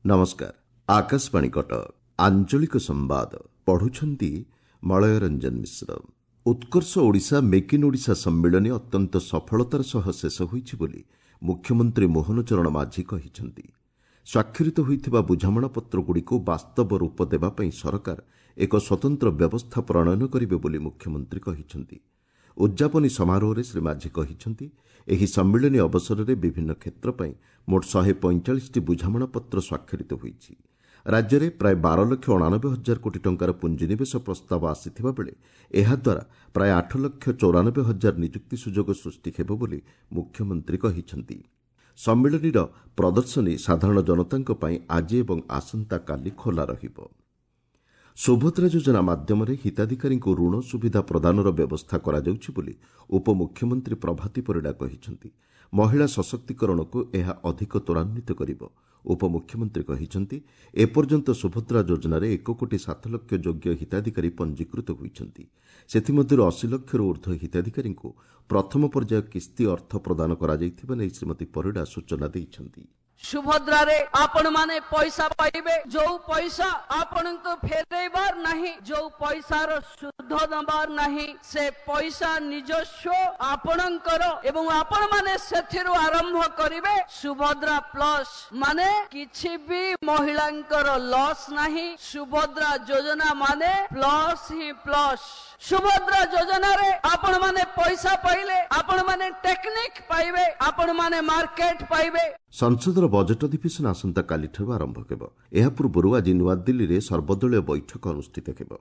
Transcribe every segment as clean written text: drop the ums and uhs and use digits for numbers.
ନମସ୍କାର, ଆକାଶବାଣୀ କଟକ, ଆଞ୍ଚଳିକ ସମ୍ବାଦ ପଢୁଛନ୍ତି ମଳୟ ରଞ୍ଜନ ମିଶ୍ର। ଉତ୍କର୍ଷ ଓଡ଼ିଶା ମେକ୍ ଇନ୍ ଓଡ଼ିଶା ସମ୍ମିଳନୀ ଅତ୍ୟନ୍ତ ସଫଳତାର ସହ ଶେଷ ହୋଇଛି ବୋଲି ମୁଖ୍ୟମନ୍ତ୍ରୀ ମୋହନ ଚରଣ ମାଝୀ କହିଛନ୍ତି। ସ୍ୱାକ୍ଷରିତ ହୋଇଥିବା ବୁଝାମଣାପତ୍ରଗୁଡ଼ିକୁ ବାସ୍ତବ ରୂପ ଦେବା ପାଇଁ ସରକାର ଏକ ସ୍ୱତନ୍ତ୍ର ବ୍ୟବସ୍ଥା ପ୍ରଣୟନ କରିବେ ବୋଲି ମୁଖ୍ୟମନ୍ତ୍ରୀ କହିଛନ୍ତି। ଉଦ୍ଯାପନୀ ସମାରୋହରେ ଶ୍ରୀ ମାଝୀ କହିଛନ୍ତି, ଏହି ସମ୍ମିଳନୀ ଅବସରରେ ବିଭିନ୍ନ କ୍ଷେତ୍ର ପାଇଁ ମୋଟ 145ଟି ବୁଝାମଣାପତ୍ର ସ୍ୱାକ୍ଷରିତ ହୋଇଛି। ରାଜ୍ୟରେ ପ୍ରାୟ 12,89,000 କୋଟି ଟଙ୍କାର ପୁଞ୍ଜିନିବେଶ ପ୍ରସ୍ତାବ ଆସିଥିବା ବେଳେ ଏହାଦ୍ୱାରା ପ୍ରାୟ 8,94,000 ନିଯୁକ୍ତି ସୁଯୋଗ ସୃଷ୍ଟି ହେବ ବୋଲି ମୁଖ୍ୟମନ୍ତ୍ରୀ କହିଛନ୍ତି। ସମ୍ମିଳନୀର ପ୍ରଦର୍ଶନୀ ସାଧାରଣ ଜନତାଙ୍କ ପାଇଁ ଆଜି ଏବଂ ଆସନ୍ତାକାଲି ଖୋଲା ରହିବ। ସୁଭଦ୍ରା ଯୋଜନା ମାଧ୍ୟମରେ ହିତାଧିକାରୀଙ୍କୁ ଋଣ ସୁବିଧା ପ୍ରଦାନର ବ୍ୟବସ୍ଥା କରାଯାଉଛି ବୋଲି ଉପମୁଖ୍ୟମନ୍ତ୍ରୀ ପ୍ରଭାତୀ ପରିଡ଼ା କହିଛନ୍ତି। ମହିଳା ସଶକ୍ତିକରଣକୁ ଏହା ଅଧିକ ତ୍ୱରାନ୍ୱିତ କରିବ। ଉପମୁଖ୍ୟମନ୍ତ୍ରୀ କହିଛନ୍ତି, ଏପର୍ଯ୍ୟନ୍ତ ସୁଭଦ୍ରା ଯୋଜନାରେ 1 କୋଟି 7 ଲକ୍ଷ ଯୋଗ୍ୟ ହିତାଧିକାରୀ ପଞ୍ଜୀକୃତ ହୋଇଛନ୍ତି। ସେଥିମଧ୍ୟରୁ 80 ଲକ୍ଷରୁ ଉର୍ଦ୍ଧ୍ୱ ହିତାଧିକାରୀଙ୍କୁ ପ୍ରଥମ ପର୍ଯ୍ୟାୟ କିସ୍ତି ଅର୍ଥ ପ୍ରଦାନ କରାଯାଇଥିବା ନେଇ ଶ୍ରୀମତୀ ପରିଡ଼ା ସୂଚନା ଦେଇଛନ୍ତି। ସୁଭଦ୍ରାରେ ଆପଣମାନେ ପଇସା ପାଇବେ, ଯୋଉ ପଇସା ଆପଣଙ୍କୁ ଫେରେଇବାର ନାହିଁ, ଯୋଉ ପଇସାର ସୁଧ ଦବାର ନାହିଁ, ସେ ପଇସା ନିଜସ୍ୱ ଆପଣଙ୍କର ଏବଂ ଆପଣମାନେ ସେଥିରୁ ଆରମ୍ଭ କରିବେ। ସୁଭଦ୍ରା ପ୍ଲସ୍ ମାନେ କିଛି ବି ମହିଳାଙ୍କର ଲସ୍ ନାହିଁ। ସୁଭଦ୍ରା ଯୋଜନା ମାନେ ପ୍ଲସ୍ ହିଁ ପ୍ଲସ୍। ସୁଭଦ୍ରା ଯୋଜନାରେ ଆପଣମାନେ ପଇସା ପାଇଲେ, ଆପଣମାନେ ଟେକ୍ନିକ ପାଇବେ, ଆପଣମାନେ ମାର୍କେଟ ପାଇବେ। ସଂସଦର ବଜେଟ୍ ଅଧିବେଶନ ଆସନ୍ତାକାଲିଠାରୁ ଆରମ୍ଭ ହେବ। ଏହା ପୂର୍ବରୁ ଆଜି ନୂଆଦିଲ୍ଲୀରେ ସର୍ବଦଳୀୟ ବୈଠକ ଅନୁଷ୍ଠିତ ହେବ।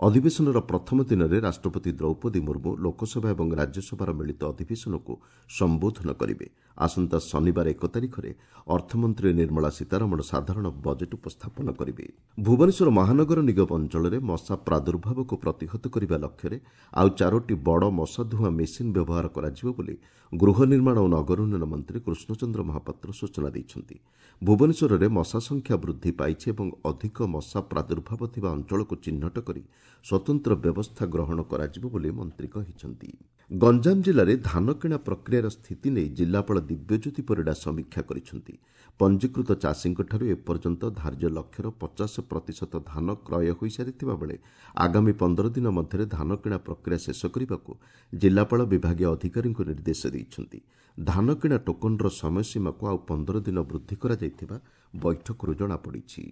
ଅଧିବେଶନର ପ୍ରଥମ ଦିନରେ ରାଷ୍ଟ୍ରପତି ଦ୍ରୌପଦୀ ମୁର୍ମୁ ଲୋକସଭା ଏବଂ ରାଜ୍ୟସଭାର ମିଳିତ ଅଧିବେଶନକୁ ସମ୍ବୋଧନ କରିବେ। ଆସନ୍ତା ଶନିବାର 1 ତାରିଖରେ ଅର୍ଥମନ୍ତ୍ରୀ ନିର୍ମଳା ସୀତାରମଣ ସାଧାରଣ ବଜେଟ୍ ଉପସ୍ଥାପନ କରିବେ। ଭୁବନେଶ୍ୱର ମହାନଗର ନିଗମ ଅଞ୍ଚଳରେ ମଶା ପ୍ରାଦୁର୍ଭାବକୁ ପ୍ରତିହତ କରିବା ଲକ୍ଷ୍ୟରେ ଆଉ ଚାରୋଟି ବଡ଼ ମଶାଧୁଆଁ ମେସିନ୍ ବ୍ୟବହାର କରାଯିବ ବୋଲି ଗୃହ ନିର୍ମାଣ ଓ ନଗର ଉନ୍ନୟନ ମନ୍ତ୍ରୀ କୃଷ୍ଣଚନ୍ଦ୍ର ମହାପାତ୍ର ସୂଚନା ଦେଇଛନ୍ତି। ଭୁବନେଶ୍ୱରରେ ମଶା ସଂଖ୍ୟା ବୃଦ୍ଧି ପାଇଛି ଏବଂ ଅଧିକ ମଶା ପ୍ରାଦୁର୍ଭାବ ଥିବା ଅଞ୍ଚଳକୁ ଚିହ୍ନଟ କରି ସ୍ୱତନ୍ତ୍ର ବ୍ୟବସ୍ଥା ଗ୍ରହଣ କରାଯିବ ବୋଲି ମନ୍ତ୍ରୀ କହିଛନ୍ତି। ଗଞ୍ଜାମ ଜିଲ୍ଲାରେ ଧାନକିଣା ପ୍ରକ୍ରିୟାର ସ୍ଥିତି ନେଇ ଜିଲ୍ଲାପାଳ ଦିବ୍ୟଜ୍ୟୋତି ପରିଡ଼ା ସମୀକ୍ଷା କରିଛନ୍ତି। ପଞ୍ଜୀକୃତ ଚାଷୀଙ୍କଠାରୁ ଏପର୍ଯ୍ୟନ୍ତ ଧାର୍ଯ୍ୟ ଲକ୍ଷ୍ୟର 50% ଧାନ କ୍ରୟ ହୋଇସାରିଥିବା ବେଳେ ଆଗାମୀ 15 ଦିନ ମଧ୍ୟରେ ଧାନକିଣା ପ୍ରକ୍ରିୟା ଶେଷ କରିବାକୁ ଜିଲ୍ଲାପାଳ ବିଭାଗୀୟ ଅଧିକାରୀଙ୍କୁ ନିର୍ଦ୍ଦେଶ ଦେଇଛନ୍ତି। ଧାନକିଣା ଟୋକନର ସମୟସୀମାକୁ ଆଉ 15 ଦିନ ବୃଦ୍ଧି କରାଯାଇଥିବା ବୈଠକରୁ ଜଣାପଡ଼ିଛି।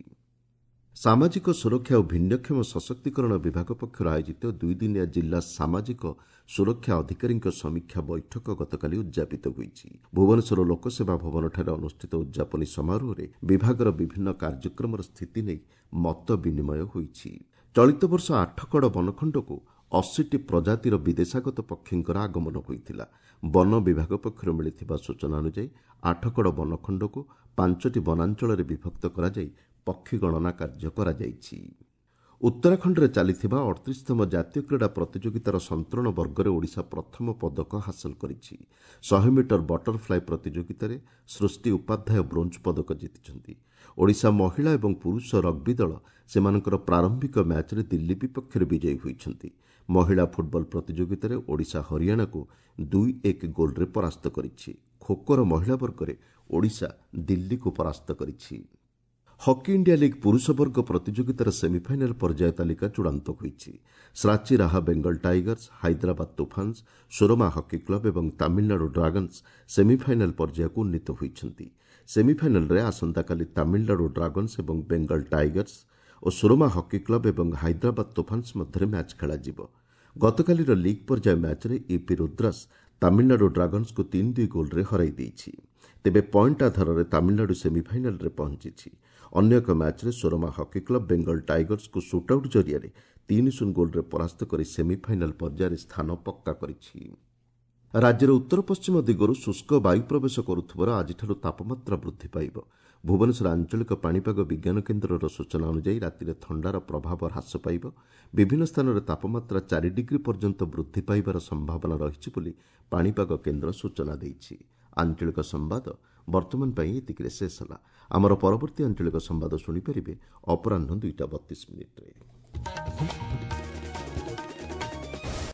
ସାମାଜିକ ସୁରକ୍ଷା ଓ ଭିନ୍ନକ୍ଷମ ସଶକ୍ତିକରଣ ବିଭାଗ ପକ୍ଷରୁ ଆୟୋଜିତ ଦୁଇଦିନିଆ ଜିଲ୍ଲା ସାମାଜିକ ସୁରକ୍ଷା ଅଧିକାରୀଙ୍କ ସମୀକ୍ଷା ବୈଠକ ଗତକାଲି ଉଦ୍ଯାପିତ ହୋଇଛି। ଭୁବନେଶ୍ୱର ଲୋକସେବା ଭବନଠାରେ ଅନୁଷ୍ଠିତ ଉଦ୍ଯାପନୀ ସମାରୋହରେ ବିଭାଗର ବିଭିନ୍ନ କାର୍ଯ୍ୟକ୍ରମର ସ୍ଥିତି ନେଇ ମତ ବିନିମୟ ହୋଇଛି। ଚଳିତ ବର୍ଷ ଆଠଗଡ଼ ବନଖଣ୍ଡକୁ 80ଟି ପ୍ରଜାତିର ବିଦେଶାଗତ ପକ୍ଷୀଙ୍କର ଆଗମନ ହୋଇଥିଲା। ବନ ବିଭାଗ ପକ୍ଷରୁ ମିଳିଥିବା ସୂଚନା ଅନୁଯାୟୀ, ଆଠଗଡ଼ ବନଖଣ୍ଡକୁ ପାଞ୍ଚଟି ବନାଞ୍ଚଳରେ ବିଭକ୍ତ କରାଯାଇ ପକ୍ଷୀ ଗଣନା କାର୍ଯ୍ୟ କରାଯାଇଛି। ଉତ୍ତରାଖଣ୍ଡରେ ଚାଲିଥିବା 38ତମ ଜାତୀୟ କ୍ରୀଡ଼ା ପ୍ରତିଯୋଗିତାର ସନ୍ତରଣ ବର୍ଗରେ ଓଡ଼ିଶା ପ୍ରଥମ ପଦକ ହାସଲ କରିଛି। 100 ମିଟର ବଟରଫ୍ଲାଏ ପ୍ରତିଯୋଗିତାରେ ସୃଷ୍ଟି ଉପାଧ୍ୟାୟ ବ୍ରୋଞ୍ଜ ପଦକ ଜିତିଛନ୍ତି। ଓଡ଼ିଶା ମହିଳା ଏବଂ ପୁରୁଷ ରଗ୍ବି ଦଳ ସେମାନଙ୍କର ପ୍ରାରମ୍ଭିକ ମ୍ୟାଚ୍ରେ ଦିଲ୍ଲୀ ବିପକ୍ଷରେ ବିଜୟୀ ହୋଇଛନ୍ତି। ମହିଳା ଫୁଟବଲ ପ୍ରତିଯୋଗିତାରେ ଓଡ଼ିଶା ହରିୟାଣାକୁ 2-1 ଗୋଲ୍ରେ ପରାସ୍ତ କରିଛି। ଖୋଖୋର ମହିଳା ବର୍ଗରେ ଓଡ଼ିଶା ଦିଲ୍ଲୀକୁ ପରାସ୍ତ କରିଛି। ହକି ଇଣ୍ଡିଆ ଲିଗ୍ ପୁରୁଷ ବର୍ଗ ପ୍ରତିଯୋଗିତାର ସେମିଫାଇନାଲ୍ ପର୍ଯ୍ୟାୟ ତାଲିକା ଚୂଡ଼ାନ୍ତ ହୋଇଛି। ଶ୍ରାଚୀ ରାହା Bengal tigers, Hyderabad Toofans, Surama hockey club ଏବଂ ତାମିଲନାଡୁ ଡ୍ରାଗନ୍ସ ସେମିଫାଇନାଲ୍ ପର୍ଯ୍ୟାୟକୁ ଉନ୍ନୀତ ହୋଇଛନ୍ତି। ସେମିଫାଇନାଲ୍ରେ ଆସନ୍ତାକାଲି ତାମିଲନାଡୁ ଡ୍ରାଗନ୍ସ ଏବଂ ବେଙ୍ଗଲ ଟାଇଗର୍ସ ଓ ସୁରମା ହକି କ୍ଲବ ଏବଂ ହାଇଦ୍ରାବାଦ ତୁଫାନ୍ସ ମଧ୍ୟରେ ମ୍ୟାଚ୍ ଖେଳାଯିବ। ଗତକାଲିର ଲିଗ୍ ପର୍ଯ୍ୟାୟ ମ୍ୟାଚ୍ରେ ୟୁପି ରୁଦ୍ରାସ୍ ତାମିଲନାଡୁ ଡ୍ରାଗନ୍ସକୁ 3-2 ଗୋଲ୍ରେ ହରାଇ ଦେଇଛି। ତେବେ ପଏଣ୍ଟ ଆଧାରରେ ତାମିଲନାଡୁ ସେମିଫାଇନାଲ୍ରେ ପହଞ୍ଚିଛି। ଅନ୍ୟ ଏକ ମ୍ୟାଚ୍ରେ ସୁରମା ହକି କ୍ଲବ ବେଙ୍ଗଲ ଟାଇଗର୍ସକୁ ସୁଟ୍ଆଉଟ୍ ଜରିଆରେ 3-0 ଗୋଲ୍ରେ ପରାସ୍ତ କରି ସେମିଫାଇନାଲ୍ ପର୍ଯ୍ୟାୟରେ ସ୍ଥାନ ପକ୍କା କରିଛି। ରାଜ୍ୟର ଉତ୍ତର ପଶ୍ଚିମ ଦିଗରୁ ଶୁଷ୍କ ବାୟୁ ପ୍ରବେଶ କରୁଥିବାରୁ ଆଜିଠାରୁ ତାପମାତ୍ରା ବୃଦ୍ଧି ପାଇବ। ଭୁବନେଶ୍ୱର ଆଞ୍ଚଳିକ ପାଣିପାଗ ବିଜ୍ଞାନ କେନ୍ଦ୍ରର ସୂଚନା ଅନୁଯାୟୀ, ରାତିରେ ଥଣ୍ଡାର ପ୍ରଭାବ ହ୍ରାସ ପାଇବ। ବିଭିନ୍ନ ସ୍ଥାନରେ ତାପମାତ୍ରା 4 ଡିଗ୍ରୀ ପର୍ଯ୍ୟନ୍ତ ବୃଦ୍ଧି ପାଇବାର ସମ୍ଭାବନା ରହିଛି ବୋଲି ପାଣିପାଗ କେନ୍ଦ୍ର ସୂଚନା ଦେଇଛି। ଆଞ୍ଚଳିକ ସମ୍ବାଦ ବର୍ତ୍ତମାନ ପାଇଁ ଏତିକିରେ ଶେଷ ହେଲା। ଆମର ପରବର୍ତ୍ତୀ ଆଞ୍ଚଳିକ ସମ୍ବାଦ ଶୁଣିପାରିବେ ଅପରାହ୍ନ 2ଟା 32 ମିନିଟ୍ରେ।